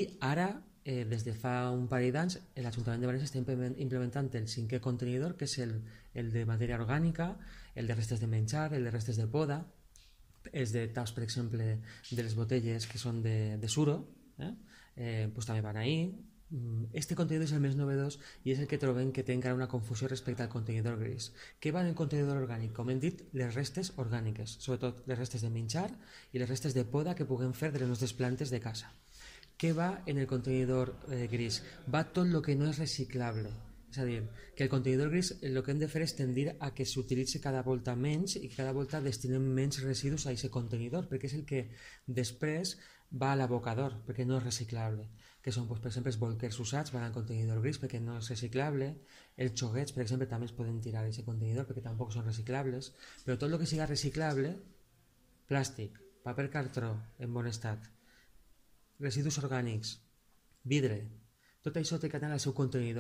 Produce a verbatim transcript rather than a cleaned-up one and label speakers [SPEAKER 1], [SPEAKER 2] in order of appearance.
[SPEAKER 1] I ara, eh, des de fa un parell d'anys, l'Ajuntament de València està implementant el cinquè contenidor, que és el, el de matèria orgànica, el de restes de menjar, el de restes de poda, els de taps, per exemple, de les botelles que són de, de suro, eh? Eh, pues també van ahí. Este contenidor és el més novedós i és el que trobem que té encara una confusió respecte al contenidor gris. Què va en el contenidor orgànic? Com hem dit, les restes orgàniques, sobretot les restes de menjar i les restes de poda que puguem fer de les nostres plantes de casa. Què va en el contenidor eh, gris? Va tot el que no és reciclable. És a dir, que el contenidor gris el que hem de fer és tendir a que s'utilitzi cada volta menys i que cada volta destinem menys residus a aquest contenidor, perquè és el que després va a l'abocador, perquè no és reciclable, que són, doncs, per exemple, els bolquers usats van al contenidor gris perquè no és reciclable, els xoguets, per exemple, també es poden tirar a aquest contenidor perquè tampoc són reciclables, però tot el que siga reciclable, plàstic, paper cartró en bon estat, residus orgànics, vidre, tot això té que anar al seu contenidor.